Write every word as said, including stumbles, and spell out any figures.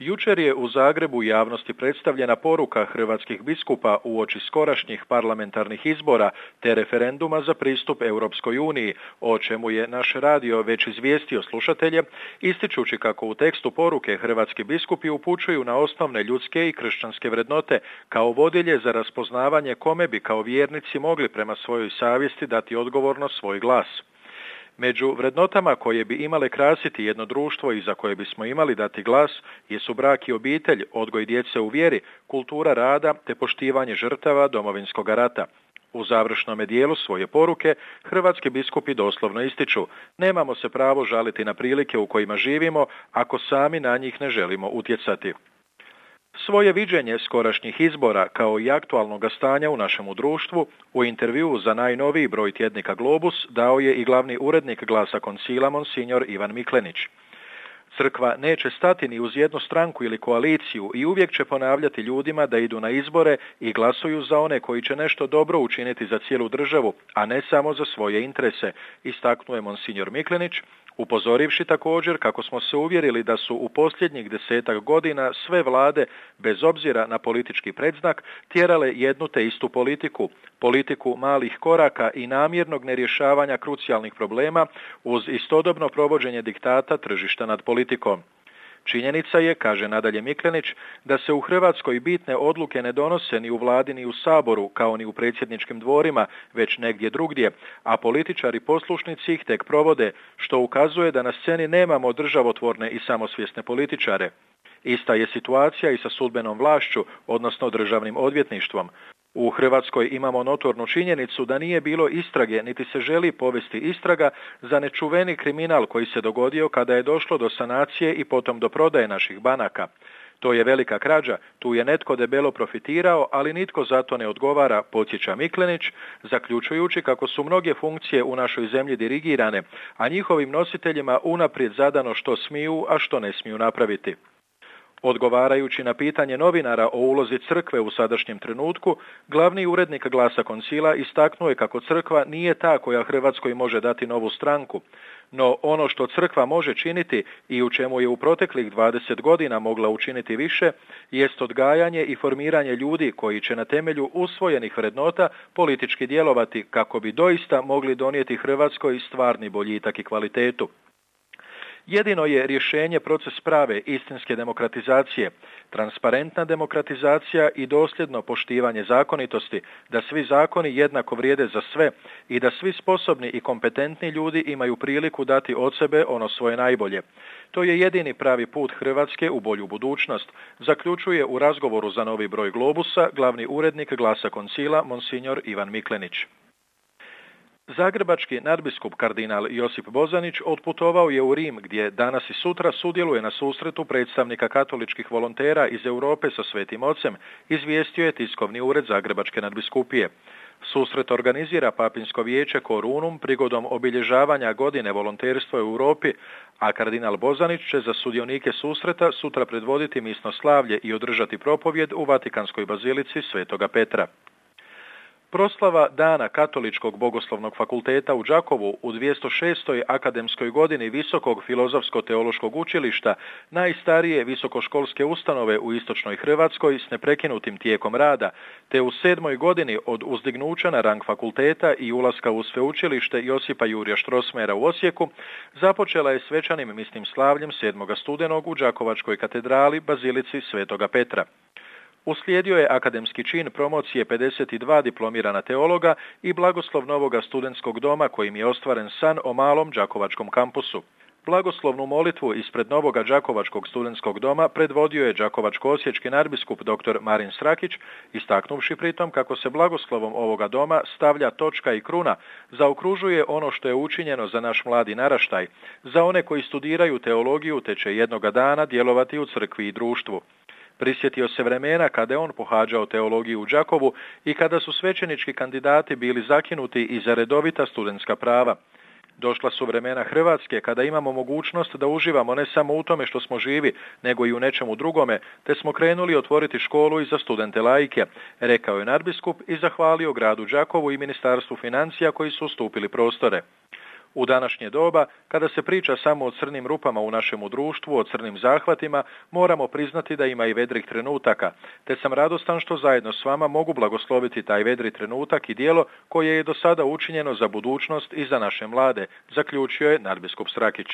Jučer je u Zagrebu javnosti predstavljena poruka hrvatskih biskupa uoči skorašnjih parlamentarnih izbora te referenduma za pristup Europskoj uniji, o čemu je naš radio već izvijestio slušatelje, ističući kako u tekstu poruke hrvatski biskupi upućuju na osnovne ljudske i kršćanske vrednote kao vodilje za raspoznavanje kome bi kao vjernici mogli prema svojoj savjesti dati odgovorno svoj glas. Među vrednotama koje bi imale krasiti jedno društvo i za koje bismo imali dati glas jesu brak i obitelj, odgoj djece u vjeri, kultura rada te poštivanje žrtava Domovinskog rata. U završnome dijelu svoje poruke hrvatski biskupi doslovno ističu: nemamo se pravo žaliti na prilike u kojima živimo ako sami na njih ne želimo utjecati. Svoje viđenje skorašnjih izbora kao i aktualnog stanja u našemu društvu u intervjuu za najnoviji broj tjednika Globus dao je i glavni urednik Glasa Koncila monsignor Ivan Miklenić. Crkva neće stati ni uz jednu stranku ili koaliciju i uvijek će ponavljati ljudima da idu na izbore i glasuju za one koji će nešto dobro učiniti za cijelu državu, a ne samo za svoje interese, istaknuo je monsignor Miklenić, upozorivši također kako smo se uvjerili da su u posljednjih desetak godina sve vlade, bez obzira na politički predznak, tjerale jednu te istu politiku, politiku malih koraka i namjernog nerješavanja krucijalnih problema uz istodobno provođenje diktata tržišta nad politikom. Činjenica je, kaže nadalje Miklenić, da se u Hrvatskoj bitne odluke ne donose ni u vladi ni u Saboru, kao ni u predsjedničkim dvorima, već negdje drugdje, a političari poslušnici ih tek provode, što ukazuje da na sceni nemamo državotvorne i samosvjesne političare. Ista je situacija i sa sudbenom vlašću, odnosno državnim odvjetništvom. U Hrvatskoj imamo notornu činjenicu da nije bilo istrage niti se želi povesti istraga za nečuveni kriminal koji se dogodio kada je došlo do sanacije i potom do prodaje naših banaka. To je velika krađa, tu je netko debelo profitirao, ali nitko za to ne odgovara, podsjeća Miklenić, zaključujući kako su mnoge funkcije u našoj zemlji dirigirane, a njihovim nositeljima unaprijed zadano što smiju, a što ne smiju napraviti. Odgovarajući na pitanje novinara o ulozi crkve u sadašnjem trenutku, glavni urednik Glasa Koncila istaknuo je kako crkva nije ta koja Hrvatskoj može dati novu stranku, no ono što crkva može činiti i u čemu je u proteklih dvadeset godina mogla učiniti više, jest odgajanje i formiranje ljudi koji će na temelju usvojenih vrednota politički djelovati kako bi doista mogli donijeti Hrvatskoj stvarni boljitak i kvalitetu. Jedino je rješenje proces prave istinske demokratizacije, transparentna demokratizacija i dosljedno poštivanje zakonitosti, da svi zakoni jednako vrijede za sve i da svi sposobni i kompetentni ljudi imaju priliku dati od sebe ono svoje najbolje. To je jedini pravi put Hrvatske u bolju budućnost, zaključuje u razgovoru za novi broj Globusa glavni urednik Glasa Koncila monsignor Ivan Miklenić. Zagrebački nadbiskup kardinal Josip Bozanić otputovao je u Rim gdje danas i sutra sudjeluje na susretu predstavnika katoličkih volontera iz Europe sa Svetim Ocem, izvijestio je tiskovni ured Zagrebačke nadbiskupije. Susret organizira Papinsko vijeće Korunum prigodom obilježavanja godine volonterstva u Europi, a kardinal Bozanić će za sudionike susreta sutra predvoditi misno slavlje i održati propovjed u Vatikanskoj bazilici Svetoga Petra. Proslava Dana Katoličkog bogoslovnog fakulteta u Đakovu u dvjesto šestoj akademskoj godini Visokog filozofsko-teološkog učilišta, najstarije visokoškolske ustanove u istočnoj Hrvatskoj s neprekinutim tijekom rada, te u sedmoj godini od uzdignuća na rang fakulteta i ulaska u sveučilište Josipa Jurja Štrosmera u Osijeku, započela je svečanim misnim slavljem sedmog studenog u Đakovačkoj katedrali Bazilici Svetoga Petra. Uslijedio je akademski čin promocije pedeset dva diplomirana teologa i blagoslov novoga studentskog doma kojim je ostvaren san o malom đakovačkom kampusu. Blagoslovnu molitvu ispred novoga đakovačkog studentskog doma predvodio je đakovačko-osječki nadbiskup dr. Marin Srakić, istaknuvši pritom kako se blagoslovom ovoga doma stavlja točka i kruna, zaokružuje ono što je učinjeno za naš mladi naraštaj, za one koji studiraju teologiju te će jednoga dana djelovati u crkvi i društvu. Prisjetio se vremena kada je on pohađao teologiju u Đakovu i kada su svećenički kandidati bili zakinuti i za redovita studentska prava. Došla su vremena Hrvatske kada imamo mogućnost da uživamo ne samo u tome što smo živi, nego i u nečemu drugome, te smo krenuli otvoriti školu i za studente laike, rekao je nadbiskup i zahvalio gradu Đakovu i Ministarstvu financija koji su ustupili prostore. U današnje doba, kada se priča samo o crnim rupama u našemu društvu, o crnim zahvatima, moramo priznati da ima i vedrih trenutaka, te sam radostan što zajedno s vama mogu blagosloviti taj vedri trenutak i djelo koje je do sada učinjeno za budućnost i za naše mlade, zaključio je nadbiskup Srakić.